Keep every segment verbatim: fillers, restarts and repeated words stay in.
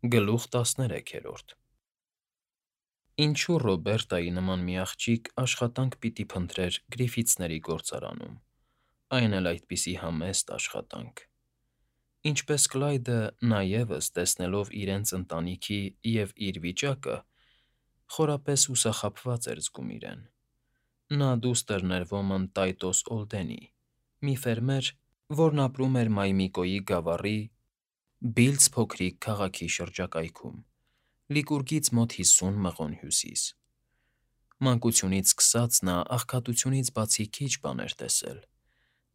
Գլուխ տասներեքերորդ Ինչու Ռոբերտայի նման մի աղջիկ աշխատանք պիտի փնտրեր Գրիֆիթսների գործարանում, այն էլ այդպիսի համեստ աշխատանք… Ինչպես Կլայդը նա ևս, տեսնելով իրենց ընտանիքի և իր վիճակը, խորապես հուսախաբված էր զգում իրեն. նա դուստր ներվոմն Տայտոս Օլդենի, մի ֆերմեր, որն ապրում էր Մայմիկոյի գավառի Բիլձ փոքրիկ քաղաքի շրջակայքում, Լիկուրգից մոտ հիսուն մղոն հյուսիս. Մանկությունից սկսած նա աղքատությունից բացի քիչ բան էր տեսել.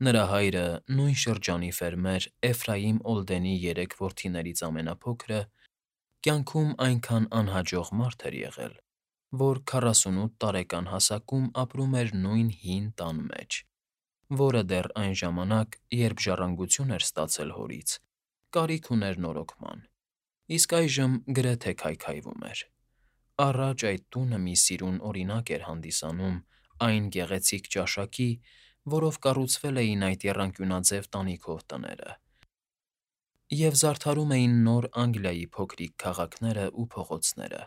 նրա հայրը, նույն շրջանի ֆերմեր Էֆրայիմ Օլդենի երեք որդիներից ամենափոքրը, կյանքում այնքան անհաջող մարդ էր եղել, որ քառասունութ տարեկան հասակում ապրում էր նույն հին տան մեջ, որը դեռ այն ժամանակ, երբ ժառանգություն էր ստացել հորից, կարիք ուներ նորոգման, իսկ այժմ գրեթե քայքայվում էր. առաջ այդ տունը մի սիրուն օրինակ էր հանդիսանում այն գեղեցիկ ճաշակի, որով կառուցվել էին այդ եռանկյունաձև տանիքով տները, և զարդարում էին Նոր Անգլիայի փոքրիկ քաղաքներն ու փողոցները.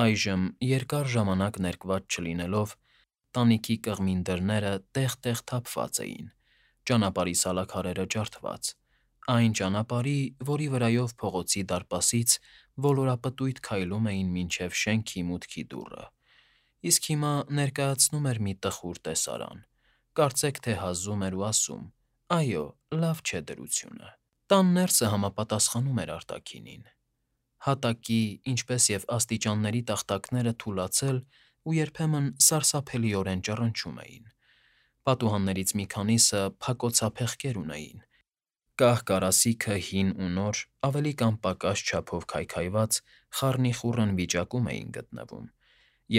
այժմ, երկար ժամանակ ներկված չլինելով, տանիքի կղմին դռները տեղ֊տեղ թափված էին, ճանապարհի սալաքարերը ջարդված, այն ճանապարհի, որի վրայով փողոցի դարպասից ոլորապտույտ քայլում էին մինչև շենքի մուտքի դուռը, իսկ հիմա ներկայացնում էր մի տխուր տեսարան, կարծեք թե հազում էր ու ասում. «Այո, լավ չէ դրությունը»։ Տան ներսը համապատասխանում էր արտաքինին. հատակի, ինչպես և աստիճանների տախտակները թուլացել ու երբեմն սարսափելիորեն ճռնչում էին, պատուհաններից մի քանիսը փակոցափեղկեր ունեին, կահ֊կարասիքը հին ու նոր, ավելի կամ պակաս չափով քայքայված, խառնիխուռն վիճակում էին գտնվում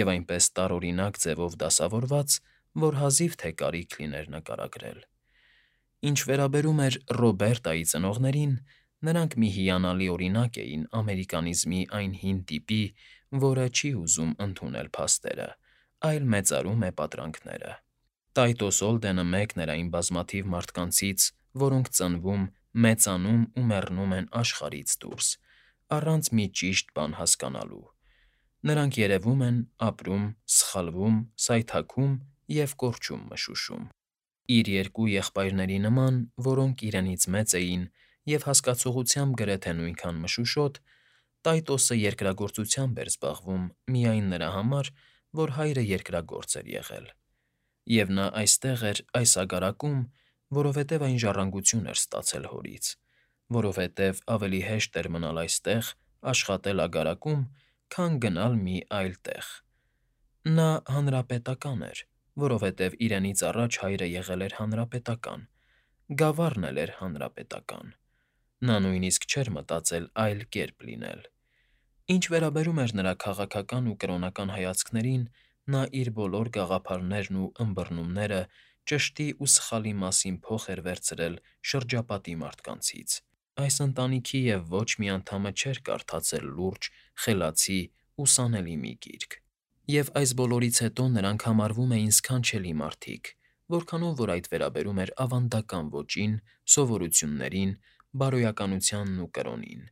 և այնպես տարօրինակ ձևով դասավորված, որ հազիվ թե կարիք լիներ նկարագրել։ Ինչ վերաբերում էր Ռոբերտայի ծնողներին, նրանք մի հիանալի օրինակ էին ամերիկանիզմի այն հին տիպի, որը չի ուզում ընդունել փաստերը, այլ մեծարում է պատրանքները։ Տայտոս Օլդենը մեկն էր այն բազմաթիվ մարդկանցից, որոնք ծնվում, մեծանում ու մեռնում են աշխարհից դուրս, առանց մի ճիշտ բան հասկանալու. նրանք երևում են, ապրում, սխալվում, սայթաքում և կորչում մշուշում։ Իր երկու եղբայրների նման, որոնք իրենից մեծ էին և հասկացողությամբ գրեթե նույնքան մշուշոտ, Տայտոսը երկրագործությամբ էր զբաղվում միայն նրա համար, որ հայրը երկրագործ էր եղել, և նա այստեղ էր այս აგարակում, որովհետև այն ժառանգություն էր ստացել հորից, որովհետև ավելի հեշտ էր մնալ այստեղ, աշխատել ագարակում, քան գնալ մի այլ տեղ։ Նա հանրապետական էր, որովհետև իրենից առաջ հայրը եղել էր հանրապետական, գավառն էլ էր հանրապետական, նա նույնիսկ չէր մտածել այլ կերպ լինել։ Ինչ վերաբերում էր նրա քաղաքական ու կրոնական հայացքներին, նա իր բոլոր գաղափարներն ու ըմբռնումները ճշտի ու սխալի մասին փոխ էր վերցրել շրջապատի մարդկանցից։ Այս ընտանիքի և ոչ մի անդամը չէր կարդացել լուրջ, խելացի, ուսանելի մի գիրք, և այս բոլորից հետո նրանք համարվում էին սքանչելի մարդիկ, որքանով որ այդ վերաբերում էր ավանդական ոճին, սովորույթներին, բարոյականությանն ու կրոնին,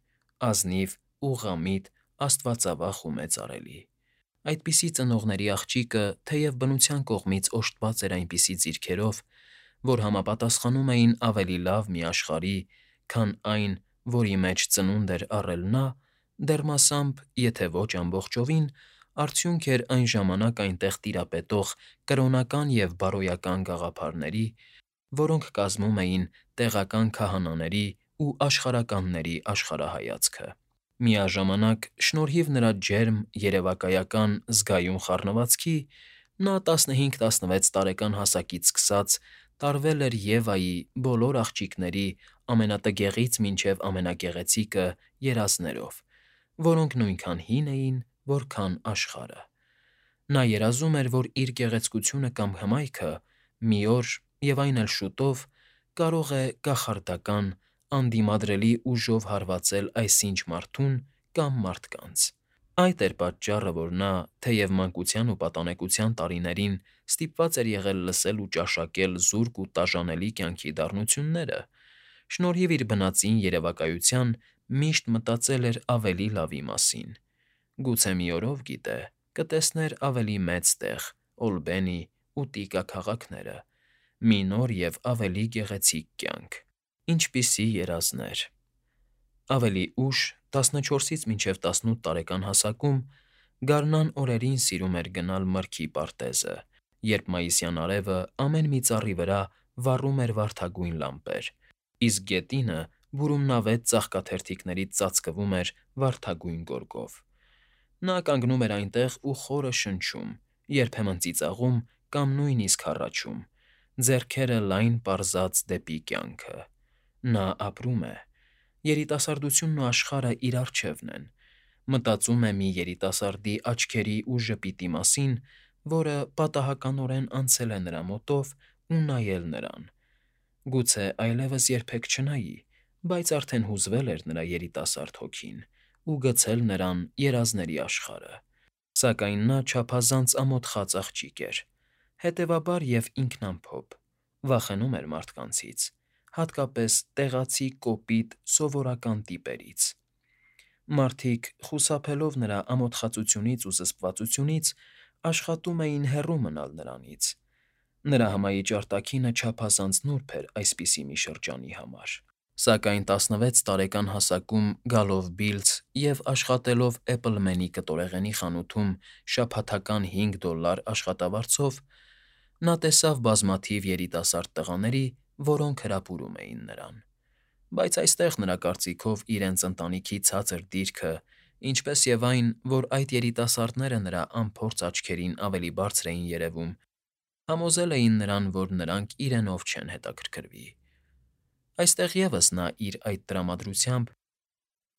ազնիվ, ուղղամիտ, աստվածավախ ու մեծարելի։ Այդպիսի ծնողների աղջիկը թեև բնության կողմից օժտված էր այնպիսի ձիրքերով, որ համապատասխանում էին ավելի լավ մի աշխարհի, քան այն, որի մեջ ծնունդ էր առել նա, դեռ մասամբ, եթե ոչ ամբողջովին, արդյունք էր այն ժամանակ այնտեղ տիրապետող կրոնական և բարոյական գաղափարների, որոնք կազմում էին տեղական քահանաների ու աշխարհականների աշխարհայացքը։ Միաժամանակ, շնորհիվ նրա ջերմ, երևակայական, զգայուն խառնվածքի, նա տասնհինգ֊տասնվեց տարեկան հասակից սկսած տարվել էր Եվայի, բոլոր աղջիկների, ամենատգեղից մինչև ամենագեղեցիկը, երազներով, որոնք նույնքան հին էին, որքան աշխարհը։ Նա երազում էր, որ իր գեղեցկությունը կամ հմայքը մի օր, և այն էլ շուտով, կարող է կախարդական, անդիմադրելի ուժով հարվածել այսինչ մարդուն կամ մարդկանց։ Այդ էր պատճառը, որ նա, թեև մանկության ու պատանեկության տարիներին ստիպված էր եղել լսել ու ճաշակել զուրկ ու տաժանելի կյանքի դառնությունները, շնորհիվ իր բնածին երևակայության միշտ մտածել էր ավելի լավի մասին. գուցե մի օրով, գիտե, կտեսներ ավելի մեծ տեղ Օլբենի ու Տիկա քաղաքները, մի նոր և ավելի գեղեցիկ կյանք։ Ինչպիսի երազներ… Ավելի ուշ, տասնչորսից մինչև տասնութ տարեկան հասակում, գարնան օրերին սիրում էր գնալ մրգի պարտեզը, երբ մայիսյան արևը ամեն մի ծառի վրա վառում էր վարդագույն լամպեր, իսկ գետինը բուրումնավետ ծաղկաթերթիկներից ծածկվում էր վարդագույն գորգով։ Նա կանգնում էր այնտեղ ու խորը շնչում, երբեմն ծիծաղում կամ նույնիսկ հառաչում, ձեռքերը լայն պարզած դեպի կյանքը։ Նա ապրում է։ Երիտասարդությունն ու աշխարհը իր առջևն են։ Մտածում է մի երիտասարդի աչքերի ու ժպիտի մասին, որը պատահականորեն անցել է նրա մոտով ու նայել նրան։ Գուցե այլևս երբեք չնայի, բայց արդեն հուզվել էր նրա երիտասարդ հոգին ու գցել նրան երազների աշխարհը։ Սակայն նա չափազանց ամոթխած աղջիկ էր, հետևաբար և ինքնամփոփ, վախենում էր մարդկանցից, հատկապես տեղացի կոպիտ, սովորական տիպերից։ Մարդիկ, խուսափելով նրա ամոթխածությունից ու զսպվածությունից, աշխատում էին հեռու մնալ նրանից։ Նրա հմայիչ արտաքինը չափազանց նուրբ էր այսպիսի մի շրջանի համար։ Սակայն տասնվեց տարեկան հասակում գալով Բիլձ և աշխատելով Էպլմենի կտորեղենի խանութում շաբաթական հինգ դոլլար աշխատավարձով, նա տեսավ բազմաթիվ երիտասարդ տղաների, որոնք հրապուրում էին նրան։ Բայց այստեղ, նրա կարծիքով, իրենց ընտանիքի ցածր դիրքը, ինչպես և այն, որ այդ երիտասարդները նրա անփորձ աչքերին ավելի բարձր էին երևում, համոզել էին նրան, որ նրանք իրենով չեն հետաքրքրվի։ Այստեղ ևս նա իր այդ տրամադրությամբ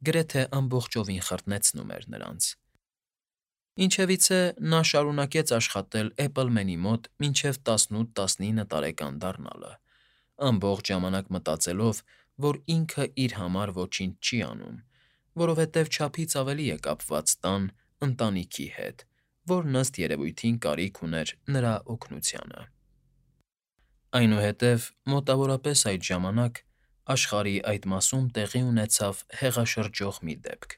գրեթե ամբողջովին խրտնեցնում էր նրանց։ Ինչևիցե, նա շարունակեց աշխատել Էպլմենի մոտ մինչև տասնութ֊տասնինը տարեկան դառնալը, ամբողջ ժամանակ մտածելով, որ ինքը իր համար ոչինչ չի անում, որովհետև չափից ավելի է կապված տան, ընտանիքի հետ, որն ըստ երևույթին կարիք ուներ նրա օգնությանը։ Այնուհետև, մոտավորապես այդ ժամանակ, աշխարհի այդ մասում տեղի ունեցավ հեղաշրջող մի դեպք։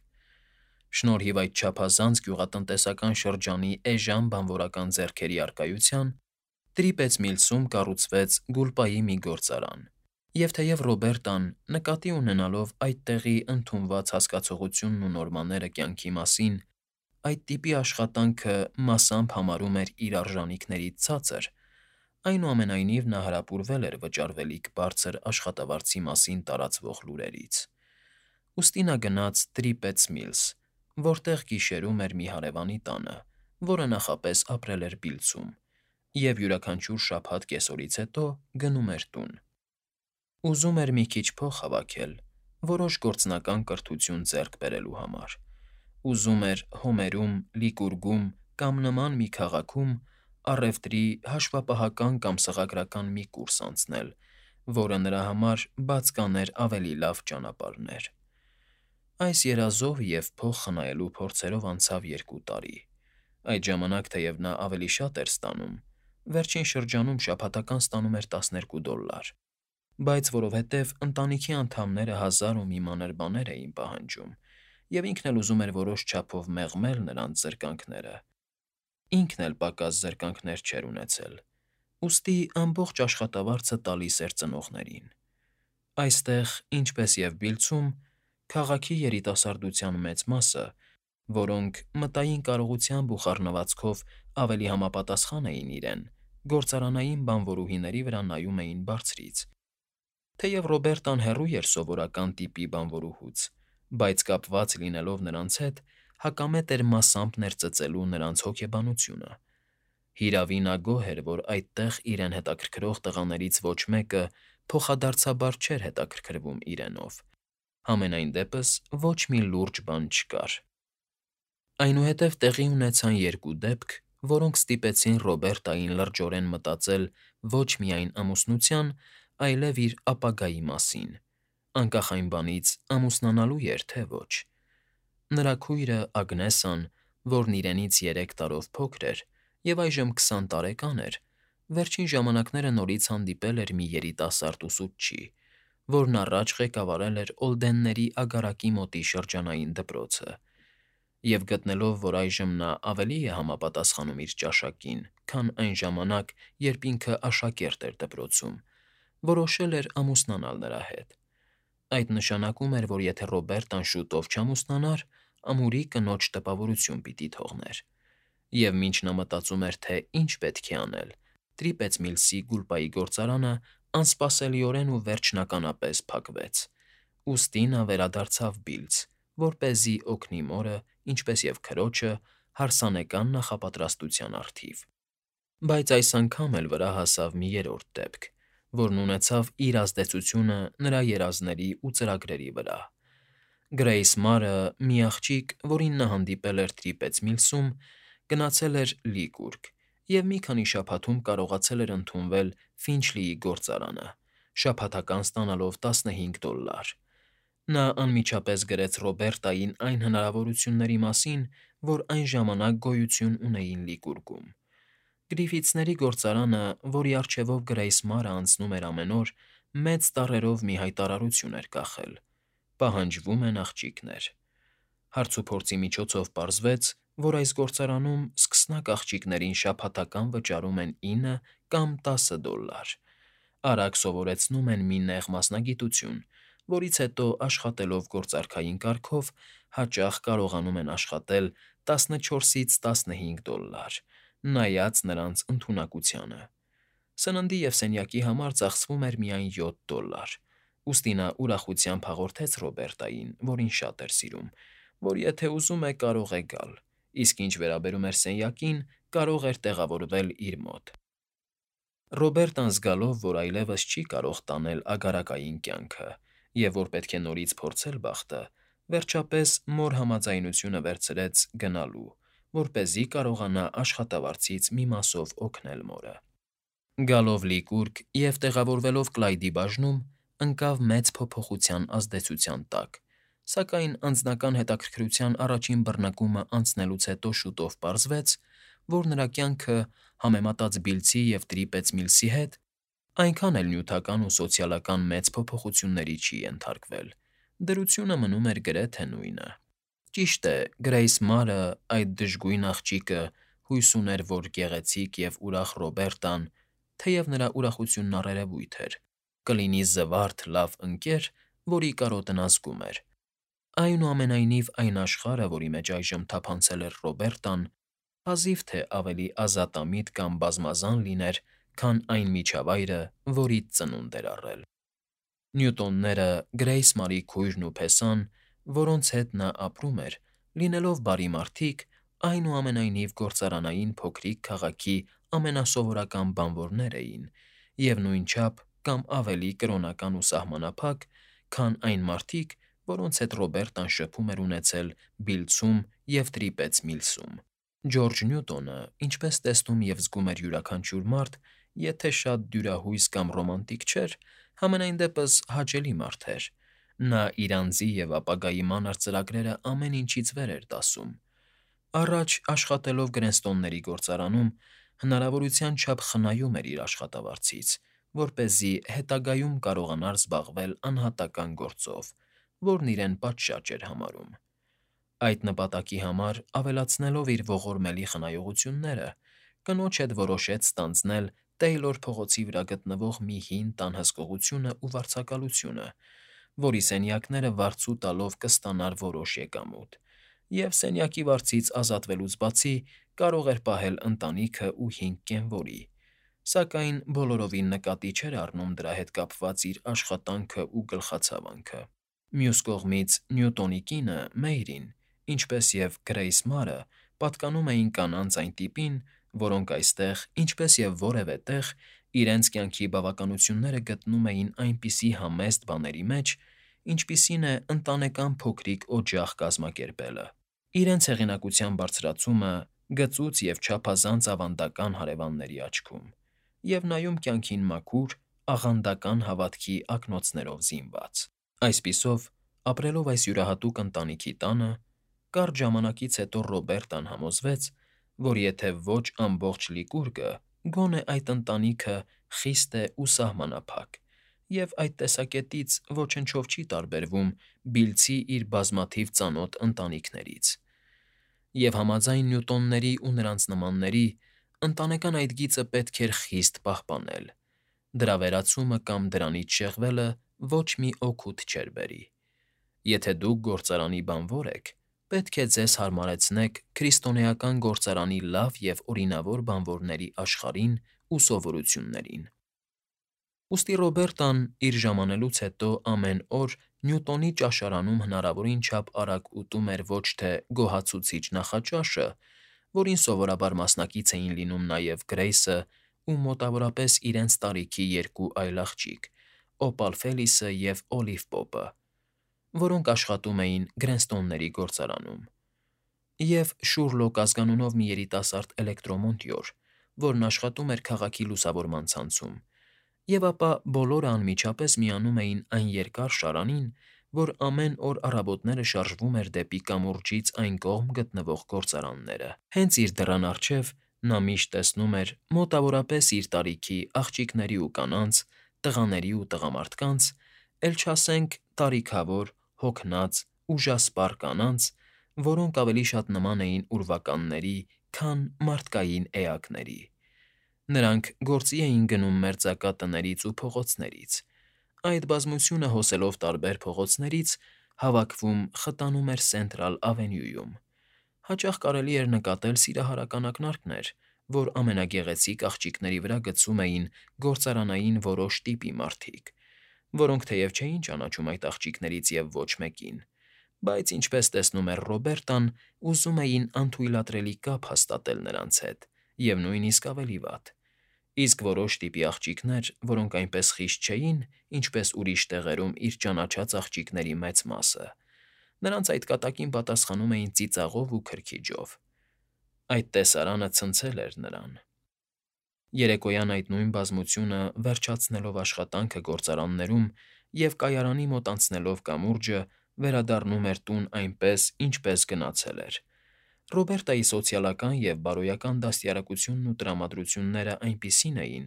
Շնորհիվ այդ չափազանց գյուղատնտեսական շրջանի էժան բանվորական ձեռքերի առկայության, Տրիպեծ Միլսում կառուցվեց գուլպայի մի գործարան, և թեև Ռոբերտան, նկատի ունենալով այդ տեղի ընդունված հասկացողությունն ու նորմաները կյանքի մասին, այդ տիպի աշխատանքը մասամբ համարում էր իր արժանիքներից ցածր, այնուամենայնիվ նա հրապուրվել էր վճարվելիք բարձր աշխատավարձի մասին տարածվող լուրերից։ Ուստի նա գնաց Տրիպեծ Միլս, որտեղ գիշերում էր մի հարևանի տանը, որը նախապես ապրել էր Բիլձում, և յուրաքանչյուր շաբաթ կեսօրից հետո գնում էր տուն։ Ուզում էր մի քիչ փող հավաքել, որոշ գործնական կրթություն ձեռք բերելու համար։ Ուզում էր Հոմերում, Լիկուրգում կամ նման մի քաղաքում առևտրի հաշվապահական կամ սղագրական մի կուրս անցնել, որը նրա համար բաց կաներ ավելի լավ ճանապարհներ։ Այս երազով և փող խնայելու փորձերով անցավ երկու տարի։ Այդ ժամանակ, թեև նա ավելի շատ էր ստանում, վերջին շրջանում շաբաթական ստանում էր տասներկու դոլլար, բայց որովհետև ընտանիքի անդամները հազար ու մի մանր բաներ էին պահանջում, և ինքն էլ ուզում էր որոշ չափով մեղմել նրանց զրկանքները, ինքն էլ պակաս զրկանքներ չէր ունեցել, ուստի ամբողջ աշխատավարձը տալիս էր ծնողներին։ Այստեղ, ինչպես և Բիլձում, քաղաքի երիտասարդության մեծ մասը, որոնք մտային կարողությամբ ու խառնվածքով ավելի համապատասխան էին իրեն, գործարանային բանվորուհիների վրա նայում էին բարձրից։ Թեև Ռոբերտան հեռու էր սովորական տիպի բանվորուհուց, բայց կապված լինելով նրանց հետ, հակամետ էր մասամբ ներծծելու նրանց հոգեբանությունը։ Հիրավի, նա գոհ էր, որ այդտեղ իրեն հետաքրքրող տղաներից ոչ մեկը փոխադարձաբար չէր հետաքրքրվում իրենով, համենայն դեպս ոչ մի լուրջ բան չկար։ Այնուհետև տեղի ունեցան երկու դեպք, որոնք ստիպեցին Ռոբերտային լրջորեն մտածել ոչ միայն ամուսնության, այլև իր ապագայի մասին, անկախ այն բանից՝ ամուսնանալու էր, թե ոչ։ Նրա քույրը՝ Ագնեսան, որն իրենից երեք տարով փոքր էր և այժմ քսան տարեկան էր, վերջին ժամանակները նորից հանդիպել էր մի երիտասարդ ուսուցչի, որն առաջ ղեկավարել էր Օլդենների ագարակի մոտի շրջանային դպրոցը, և գտնելով, որ այժմ նա ավելի է համապատասխանում իր ճաշակին, քան այն ժամանակ, երբ ինքը աշակերտ էր դպրոցում, որոշել էր ամուսնանալ նրա հետ։ Այդ նշանակում էր, որ եթե Ռոբերտան շուտով չամուսնանար, ամուրի կնոջ տպավորություն պիտի թողներ։ Եվ մինչ նա մտածում էր, թե ինչ պետք է անել, Տրիպեծ Միլսի գուլպայի գործարանը անսպասելիորեն ու վերջնականապես փակվեց։ Ուստի նա վերադարձավ Բիլձ, որպեսզի օգնի մորը, ինչպես և քրոջը, հարսանեկան նախապատրաստության առթիվ։ Բայց այս անգամ էլ վրա հասավ մի երրորդ դեպք, որն ունեցավ իր ազդեցությունը նրա երազների ու ծրագրերի վրա։ Գրեյս Մարը, մի աղջիկ, որին նա հանդիպել էր Տրիպեծ Միլսում, գնացել էր Լիգուրգ և մի քանի շաբաթում կարողացել էր ընդունվել Ֆինչլիի գործարանը, շաբաթական ստանալով տասնհինգ դոլլար։ Նա անմիջապես գրեց Ռոբերտային այն հնարավորությունների մասին, որ այն ժամանակ գոյություն ունեին Լիգուրգում։ Գրիֆիթսների գործարանը, որի առջևով Գրեյս Մարը անցնում էր ամեն օր, մեծ տառերով մի հայտարարություն էր կախել. «Պահանջվում են աղջիկներ»։ Հարցուփորձի միջոցով պարզվեց, որ այս գործարանում սկսնակ աղջիկներին շաբաթական վճարում են ինը կամ տասը դոլլար, արագ սովորեցնում են մի նեղ մասնագիտություն, որից հետո աշխատելով գործարքային կարգով հաճախ կարողանում են աշխատել տասնչորսից տասնհինգ դոլլար, նայած նրանց ընդունակությանը։ Սննդի և սենյակի համար ծախսվում էր միայն յոթ դոլլար, ուստի նա ուրախությամբ հաղորդեց Ռոբերտային, որին շատ էր սիրում, որ եթե ուզում է, կարող է գալ, իսկ ինչ վերաբերում էր սենյակին, կարող էր տեղավորվել իր մոտ։ Ռոբերտան զգալով, որ այլևս չի կարող տանել ագարակային կյանքը և որ պետք է նորից փորձել բախտը, վերջապես մոր համաձայնությունը վերցրեց գնալու, որպեսզի կարողանա աշխատավարձից մի մասով օգնել մորը։ Գալով Լիգուրգ և տեղավորվելով Կլայդի բաժնում, ընկավ մեծ փոփոխության ազդեցության տակ, սակայն անձնական հետաքրքրության առաջին բռնկումը անցնելուց հետո շուտով պարզվեց, որ նրա կյանքը, համեմատած Բիլձի և Տրիպեծ Միլսի հետ, այնքան էլ նյութական ու սոցիալական մեծ փոփոխությունների չի ենթարկվել, դրությունը մնում էր գրեթե նույնը։ Ճիշտ է, Գրեյս Մարը, այդ դժգույն աղջիկը, հույս ուներ, որ գեղեցիկ և ուրախ Ռոբերտան, թեև նրա ուրախությունն առերևույթ էր, կլինի զվարթ, լավ ընկեր, որի կարոտն ազգում էր։ Այնուամենայնիվ, այն աշխարհը, որի մեջ այժմ թափանցել էր Ռոբերտան, հազիվ թե ավելի ազատամիտ կամ բազմազան լիներ, քան այն միջավայրը, որից ծնունդ էր առել։ Նյուտոնները, Գրեյս Մարի քույրն ու փեսան, որոնց հետ նա ապրում էր, լինելով բարի մարդիկ, այնուամենայնիվ գործարանային փոքրիկ քաղաքի ամենասովորական բանվորներ էին և նույնչափ կամ ավելի կրոնական ու սահմանափակ, քան այն մարդիկ, որոնց հետ Ռոբերտան շփում էր ունեցել Բիլձում և Տրիպեծ Միլսում։ Ջորջ Նյուտոնը, ինչպես տեսնում և զգում էր յուրաքանչյուր մարդ, եթե շատ դյուրահույս կամ ռոմանտիկ չէր, համենայն դեպս հաճելի մարդ էր։ Նա իր անձի և ապագայի մանր ծրագրերը ամեն ինչից վեր էր դասում։ Առաջ աշխատելով Գրենստոնների գործարանում, հնարավորության չափ խնայում էր իր աշխատավարձից, որպեսզի հետագայում կարողանար զբաղվել անհատական գործով, որն իրեն պատշաճ էր համարում։ Այդ նպատակի համար, ավելացնելով իր ողորմելի խնայողությունները, կնոջ հետ որոշեց ստանձնել Տեյլոր փողոցի վրա գտնվող մի հին տան հսկողությունն ու վարձակալությունը, որի սենյակները վարձու տալով կստանար որոշ եկամուտ, և սենյակի վարձից ազատվելուց բացի կարող էր պահել ընտանիքը ու հինգ կենվորի, սակայն բոլորովին նկատի չէր առնում դրա հետ կապված իր աշխատանքն ու գլխացավանքը։ Մյուս կողմից, Նյուտոնի կինը՝ Մեյրին, ինչպես և Գրեյս Մարը, պատկանում էին կանանց այն տիպին, որոնք այստեղ, ինչպես և որևէ տեղ, իրենց կյանքի բավականությունները գտնում էին այնպիսի համեստ բաների մեջ, ինչպիսին է ընտանեկան փոքրիկ օջախ կազմակերպելը, իրենց հեղինակության բարձրացումը գծուծ և չափազանց ավանդական հարևանների աչքում, և նայում կյանքին մաքուր, աղանդական հավատքի ակնոցներով զինված։ Այսպիսով, ապրելով այս յուրահատուկ ընտանիքի տանը, կարճ ժամանակից հետո Ռոբերտան համոզվեց, որ եթե ոչ ամբողջ Լիգուրգը, գոնե այդ ընտանիքը խիստ է ու սահմանափակ, և այդ տեսակետից ոչնչով չի տարբերվում Բիլցի իր բազմաթիվ ծանոթ ընտանիքներից։ Եվ համաձայն Նյուտոնների ու նրանց նմանների, ընտանեկան այդ գիծը պետք էր խիստ պահպանել. դրա վերացումը կամ դրանից շեղվելը ոչ մի օգուտ չէր բերի։ Եթե դուք գործարանի բանվոր եք, պետք է ձեզ հարմարեցնեք քրիստոնեական գործարանի լավ և օրինավոր բանվորների աշխարհին ու սովորություններին։ Ուստի Ռոբերտան իր ժամանելուց հետո ամեն օր Նյուտոնի ճաշարանում հնարավորին չափ արագ ուտում էր ոչ թե գոհացուցիչ նախաճաշը, որին սովորաբար մասնակից էին լինում նաև Գրեյսը ու մոտավորապես իրենց տարիքի երկու այլ աղջիկ՝ Օպալ Ֆելիսը և Օլիվ Պոպը, որոնք աշխատում էին Գրենստոնների գործարանում, և Շուրլոկ ազգանունով մի երիտասարդ էլեկտրոմոնտյոր, որն աշխատում էր քաղաքի լուսավորման ցանցում, և ապա բոլորը անմիջապես միանում էին այն երկար շարանին, որ ամեն օր առավոտները շարժվում էր դեպի կամուրջից այն կողմ գտնվող գործարանները։ Հենց իր դռան առջև նա միշտ տեսնում էր մոտավորապես իր տարիքի աղջիկների ու կանանց, տղաների ու տղամարդկանց, էլ չասենք տարիքավոր, հոգնած, ուժասպառ կանանց, որոնք ավելի շատ նման էին ուրվականների, քան մարդկային էակների։ Նրանք գործի էին գնում մերձակա տներից ու փողոցներից։ Այդ բազմությունը հոսելով տարբեր փողոցներից հավաքվում խտանում էր Սենտրալ Ավենյուում։ Հաճախ կարելի էր նկատել սիրահարական ակնարկներ, որ ամենագեղեցիկ աղջիկների վրա գցում էին գործարանային որոշ տիպի մարդիկ, որոնք թեև չէին ճանաչում այդ աղջիկներից և ոչ մեկին, բայց, ինչպես տեսնում էր Ռոբերտան, ուզում էին անթույլատրելի կապ հաստատել նրանց հետ, և նույնիսկ ավելի վատ։ Իսկ որոշ տիպի աղջիկներ, որոնք այնպես խիտ չէին, ինչպես ուրիշ տեղերում իր ճանաչած աղջիկների մեծ մասը, նրանց այդ կատակին պատասխանում էին ծիծաղով ու քրքիջով։ Այդ տեսարանը ցնցել էր նրան։ Երեկոյան այդ նույն բազմությունը, վերջացնելով աշխատանքը գործարաններում և կայարանի մոտ անցնելով կամուրջը, վերադառնում էր տուն այնպես, ինչպես գնացել էր։ Ռոբերտայի սոցիալական և բարոյական դաստիարակությունն ու տրամադրությունները այնպիսին էին,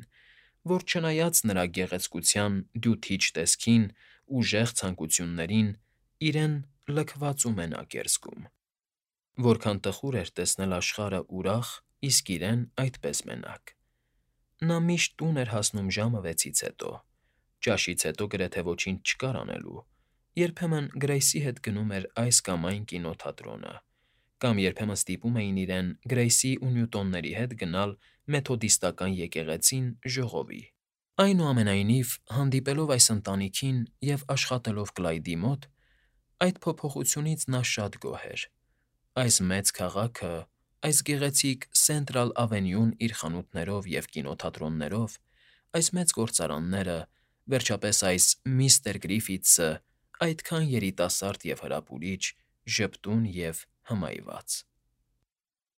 որ չնայած նրա գեղեցկության, դյութիչ տեսքին, ուժեղ ցանկություններին, իրեն լքված ու մենակ էր զգում։ Որքան տխուր էր տեսնել աշխարհը ուրախ, իսկ իրեն՝ այդպես մենակ։ Նա միշտ տուն էր հասնում ժամը վեցից հետո։ Ճաշից հետո գրեթե ոչինչ չկար անելու։ Երբեմն Գրեյսի հետ գնում էր այս կամ այն կինոթատրոնը, կամ երբեմն ստիպում էին իրեն Գրեյսի ու Նյուտոնների հետ գնալ Մեթոդիստական եկեղեցին ժողովի։ Այնուամենայնիվ, հանդիպելով այս ընտանիքին և աշխատելով Կլայդի մոտ, այդ փոփոխությունից նա շատ գոհ էր։ Այս մեծ քաղաքը, այս գեղեցիկ Սենտրալ Ավենյուն իր խանութներով և կինոթատրոններով, այս մեծ գործարանները, վերջապես այս միստր Գրիֆիթսը՝ այդքան երիտասարդ և հրապուրիչ, ժպտուն և հմայված։